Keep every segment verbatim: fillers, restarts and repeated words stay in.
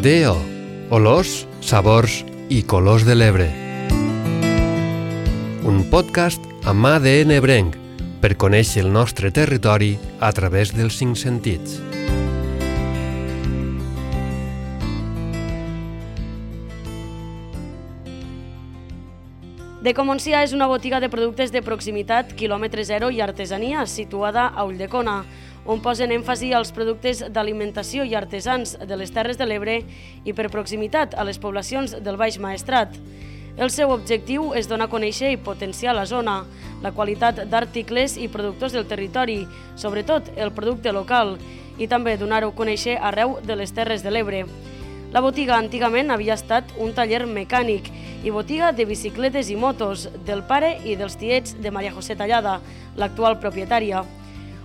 D O, olors, sabors i colors de l'Ebre. Un podcast amb A D N ebrenc per conèixer el nostre territori a través dels cinc sentits. Deco Montsià és una botiga de productes de proximitat, quilòmetre zero i artesania situada a Ulldecona, on posen èmfasi als productes d'alimentació i artesans de les Terres de l'Ebre i per proximitat a les poblacions del Baix Maestrat. El seu objectiu és donar a conèixer i potenciar la zona, la qualitat d'articles i productors del territori, sobretot el producte local, i també donar-ho a conèixer arreu de les Terres de l'Ebre. La botiga antigament havia estat un taller mecànic i botiga de bicicletes i motos del pare i dels tiets de Maria José Tallada, l'actual propietària.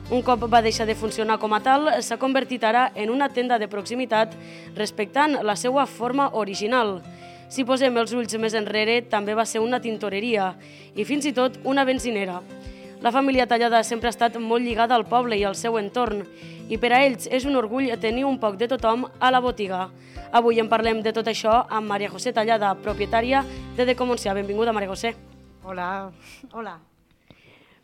Un cop va deixar de funcionar com a tal, s'ha convertit ara en una tenda de proximitat respectant la seva forma original. Si posem els ulls més enrere, també va ser una tintoreria i fins i tot una benzinera. La família Tallada sempre ha estat molt lligada al poble i al seu entorn i per a ells és un orgull tenir un poc de tothom a la botiga. Avui en parlem de tot això amb Maria José Tallada, propietària de Deco Montsià. Benvinguda, Maria José. Hola, hola.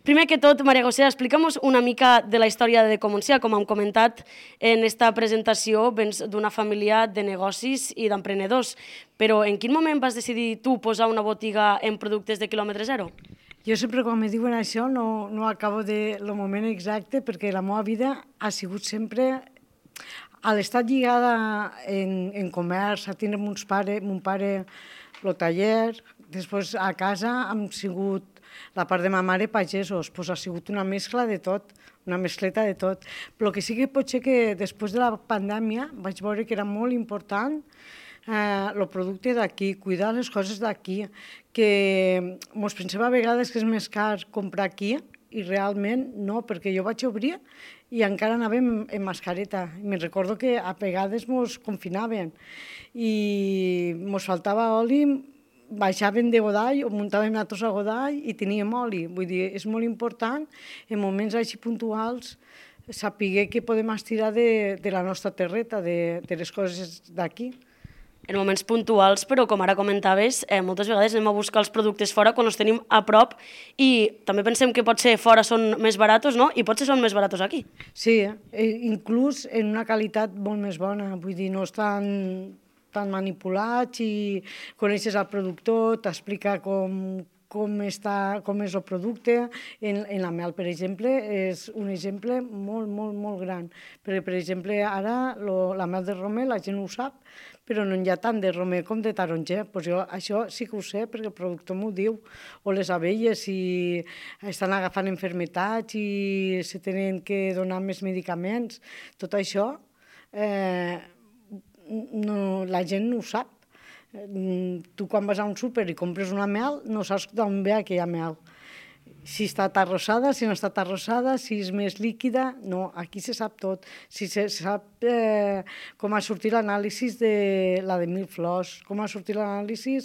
Primer que tot, Maria José, explica'm una mica de la història de Deco Montsià. Com hem comentat en esta presentació, vens d'una família de negocis i d'emprenedors, però en quin moment vas decidir tu posar una botiga en productes de quilòmetre zero? Jo sempre quan me diuen això no, no acabo de el moment exacte perquè la meva vida ha sigut sempre a l'estat lligada en, en comerç, a tindre mons pare, mon pare el taller, després a casa hem sigut la part de ma mare pagesos, doncs ha sigut una mescla de tot, una mescleta de tot. Però el que sí que pot ser que després de la pandèmia vaig veure que era molt important eh, el producte d'aquí, cuidar les coses d'aquí, que mos pensem a vegades que és més car comprar aquí i realment no, perquè jo vaig obrir i encara anàvem en mascareta. Me'n recordo que a vegades mos confinaven i mos faltava oli, baixàvem de Godall o muntàvem nosaltres a Godall i teníem oli. Vull dir, és molt important en moments així puntuals saber que podem estirar de, de la nostra terreta, de, de les coses d'aquí. En moments puntuals, però com ara comentaves, eh, moltes vegades anem a buscar els productes fora quan els tenim a prop i també pensem que potser fora són més baratos, no? I potser són més baratos aquí. Sí, eh? inclús en una qualitat molt més bona, vull dir, no estan tan manipulats i coneixes el productor, t'explica com, com, està, com és el producte. En, en la mel, per exemple, és un exemple molt, molt, molt gran. Perquè, per exemple, ara lo, la mel de romer la gent ho sap, però no hi ha tant de romer com de taronger. Pues jo això sí que ho sé, perquè el productor m'ho diu. O les abelles, si estan agafant enfermetats i se tenen que donar més medicaments. Tot això, eh, no, la gent no ho sap. Tu quan vas a un súper i compres una mel, no saps d'on ve aquella mel. Si està arrossada, si no està arrossada, si és més líquida, no, aquí se sap tot. Si se sap eh, com ha sortit l'anàlisi de la de mil flors, com ha sortit l'anàlisi,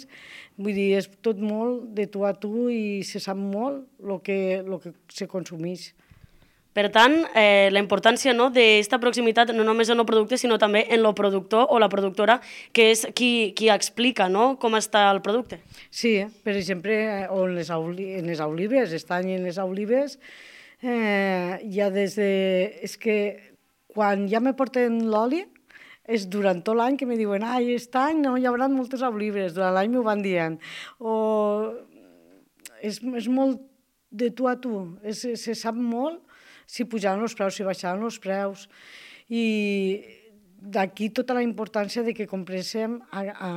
vull dir, és tot molt de tu a tu i se sap molt el que, lo que se consumeix. Per tant, eh, la importància no, d'esta proximitat no només en el producte, sinó també en el productor o la productora, que és qui, qui explica no, com està el producte. Sí, eh? Per exemple, en les, en les olives, estan en les olives, eh, ja des de... És que quan ja me porten l'oli, és durant tot l'any que me diuen ai, aquest any no hi haurà moltes olives, durant l'any m'ho van dient. O és, és molt de tu a tu, és, se sap molt si pujaven els preus, si baixaven els preus. I d'aquí tota la importància de que compréssim, a, a,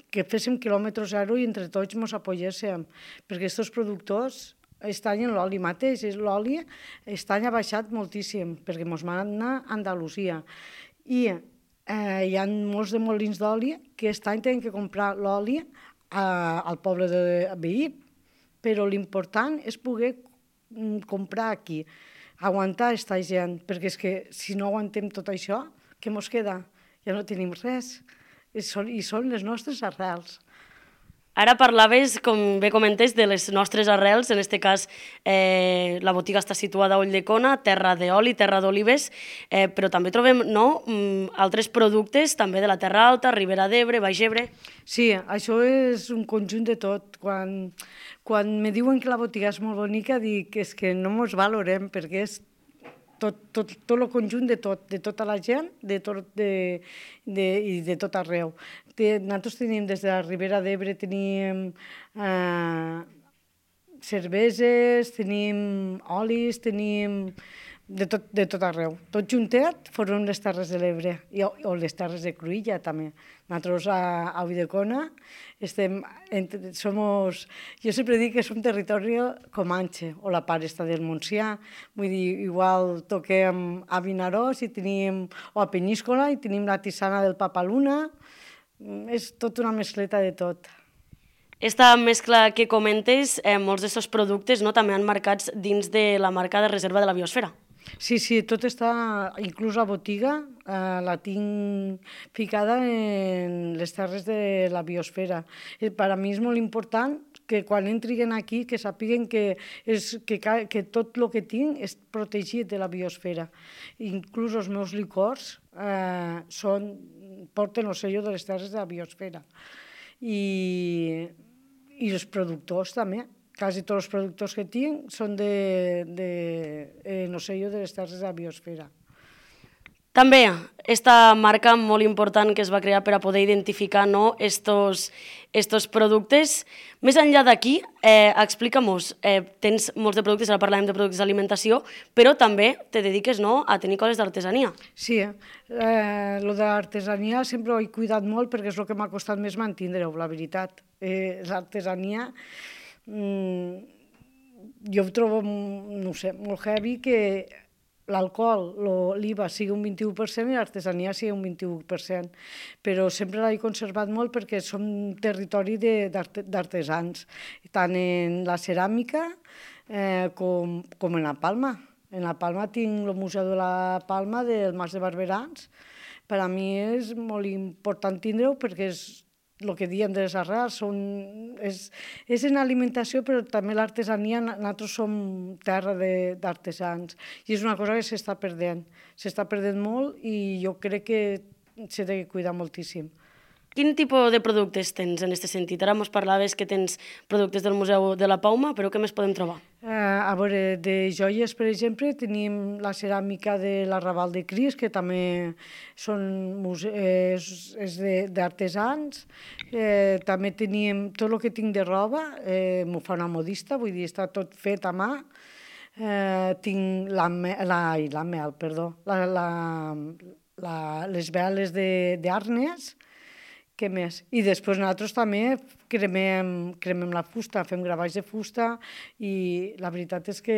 que féssim quilòmetre zero i entre tots ens apoyéssim, perquè aquests productors estan en l'oli mateix. L'oli aquest any ha baixat moltíssim, perquè ens van anar a Andalusia. I eh, hi ha molts de molins d'oli que aquest any tenen que comprar l'oli al poble de veí, però l'important és poder comprar aquí, aguantar aquesta gent, perquè és que si no aguantem tot això, què mos queda? Ja no tenim res, i són, i són les nostres arrels. Ara parlaves, com bé comentes, de les nostres arrels, en aquest cas eh, la botiga està situada a Ulldecona, terra d'oli, terra d'olives, eh, però també trobem no, altres productes també de la Terra Alta, Ribera d'Ebre, Baix Ebre. Sí, això és un conjunt de tot. Quan, quan me diuen que la botiga és molt bonica, dic que és que no mos valorem, perquè és tot, tot, tot el conjunt de tot, de tota la gent de tot, de, de, i de tot arreu. De, nosaltres tenim des de la Ribera d'Ebre, tenim eh, cerveses, tenim olis, tenim de tot, de tot arreu. Tot juntet formem les Terres de l'Ebre, o, o les Terres de Cruïlla també. Nosaltres a, a Ulldecona estem, entre, somos, jo sempre dic que som territori comanxe, o la part esta del Montsià, vull dir, igual toquem a Vinaròs i tenim, o a Penyíscola i tenim la tisana del Papaluna, és tot una mescleta de tot. Esta mescla que comentes, eh, molts d'aquests productes no, també han marcats dins de la marca de reserva de la biosfera. Sí, sí, tot està, inclús la botiga, eh, la tinc ficada en les terres de la biosfera. Eh, per a mi és molt important que quan entrin aquí que sàpiguen que, és, que, que tot el que tinc és protegit de la biosfera. Inclús els meus licors eh, són, porten el sello de les terres de la biosfera. I, i els productors també. Quasi tots els productors que tinc són de, de, eh, no sello de les terres de la biosfera. També, esta marca molt important que es va crear per a poder identificar no, estos, estos productes. Més enllà d'aquí, eh, explica-mos, eh, tens molts de productes, ara parlàvem de productes d'alimentació, però també te dediques no, a tenir coses d'artesania. Sí, eh, lo de l'artesania sempre ho he cuidat molt perquè és el que m'ha costat més mantindre-ho, la veritat. Eh, l'artesania... jo ho trobo, no sé, molt heavy que l'alcohol, l'I V A sigui un vint-i-u per cent i l'artesania sigui un vint-i-u per cent, però sempre l'he conservat molt perquè som un territori d'artesans, tant en la ceràmica eh, com, com en la palma. En la Palma tinc el Museu de la Palma del Mas de Barberans. Per a mi és molt important tindre-ho perquè és el que diem de les arrels, són, és, és en alimentació, però també l'artesania, nosaltres som terra d'artesans, i és una cosa que s'està perdent, s'està perdent molt i jo crec que s'ha de cuidar moltíssim. Quin tipus de productes tens en aquest sentit? Ara ens parlaves que tens productes del Museu de la Pauma, però què més podem trobar? Eh, a veure, de joies, per exemple, tenim la ceràmica de l'Arrabal de Cris, que també són és, és d'artesans. Eh, també tenim tot el que tinc de roba, eh, m'ho fa una modista, vull dir, està tot fet a mà. Eh, tinc la, la, la mel, perdó, la, la, la, les veles d'Arnes. Què més? I després nosaltres també cremem, cremem la fusta, fem gravats de fusta i la veritat és que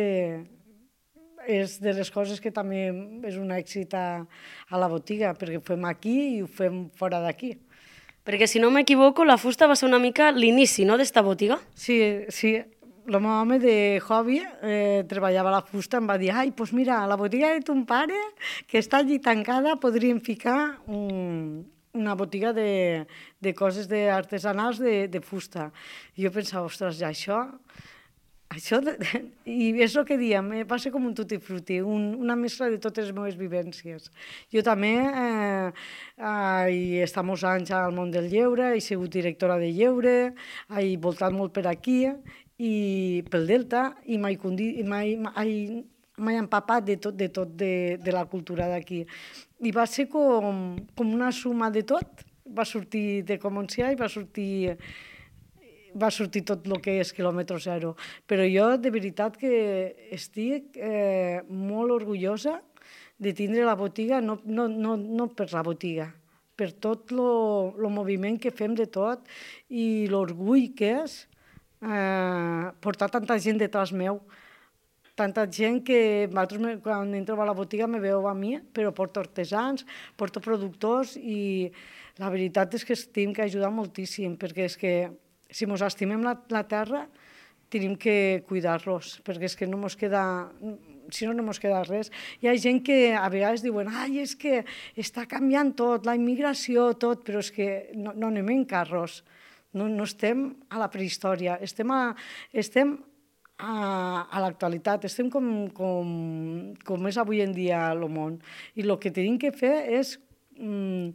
és de les coses que també és un èxit a, a la botiga, perquè ho fem aquí i ho fem fora d'aquí. Perquè si no m'equivoco, la fusta va ser una mica l'inici, no?, d'esta botiga? Sí, sí. El meu home de hobby eh, treballava la fusta, em va dir, ai, doncs mira, a la botiga de ton pare, que està allí tancada, podríem ficar un... una botiga de, de coses artesanals de, de fusta. I jo pensava, ostres, ja això... això de, i és el que diem, eh, va ser com un tutti frutti, un, una mescla de totes les meves vivències. Jo també eh, he estat molts anys al món del lleure, he sigut directora de lleure, he voltat molt per aquí, i pel Delta, i mai, mai, mai, mai empapat de tot, de, tot de, de la cultura d'aquí. I va ser com, com una suma de tot, va sortir de Comontsià i va sortir, va sortir tot el que és quilòmetre zero. Però jo de veritat que estic eh, molt orgullosa de tindre la botiga, no, no, no, no per la botiga, per tot el moviment que fem de tot i l'orgull que és eh, portar tanta gent detrás meu. Tanta gent que quan entro a la botiga me veu a mi, però porto artesans, porto productors i la veritat és que es tenim que ajudar moltíssim, perquè és que si ens estimem la, la terra tenim que cuidar-los, perquè és que no ens queda, si no, no ens queda res. Hi ha gent que a vegades diuen, ai, és que està canviant tot, la immigració, tot, però és que no, no anem en carros. no, no estem a la prehistòria, estem a, estem a, a l'actualitat, estem com, com, com és avui en dia el món. I el que tenim que fer és mm,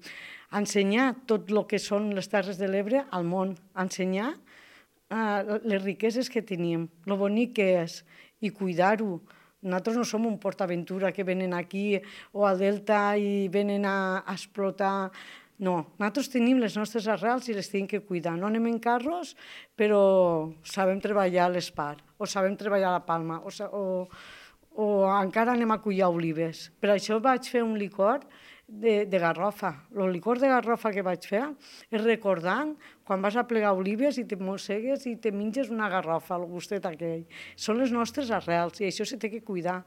ensenyar tot el que són les Terres de l'Ebre al món, ensenyar uh, les riqueses que tenim, el bonic que és, i cuidar-ho. Nosaltres no som un PortAventura que venen aquí o al Delta i venen a, a explotar. No, nosaltres tenim les nostres arrels i les tenim que cuidar. No anem en carros, però sabem treballar a l'Espar, o sabem treballar a la Palma, o, o, o encara anem a collar olives. Per això vaig fer un licor de, de garrofa. El licor de garrofa que vaig fer és recordant quan vas a plegar olives i te mossegues i te menges una garrofa, el gustet aquell. Són les nostres arrels i això se té que cuidar.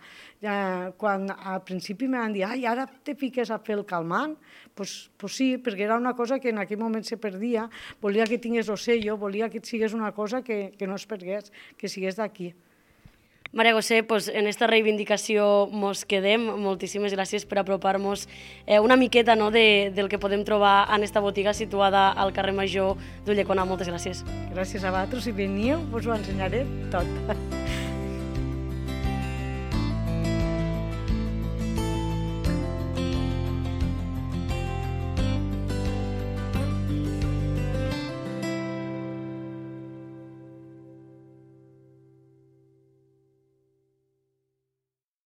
Ja, quan al principi em van dir, ai, ara te fiques a fer el calmant, pues, pues sí, perquè era una cosa que en aquell moment se perdia, volia que tingués el sello, volia que sigués una cosa que, que no es pergués, que sigués d'aquí. Maria José, pues, en esta reivindicació mos quedem. Moltíssimes gràcies per apropar-nos eh, una miqueta, no, de, del que podem trobar en esta botiga situada al carrer Major d'Ulldecona. Moltes gràcies. Gràcies a vosaltres. Si veniu, us ho ensenyaré tot.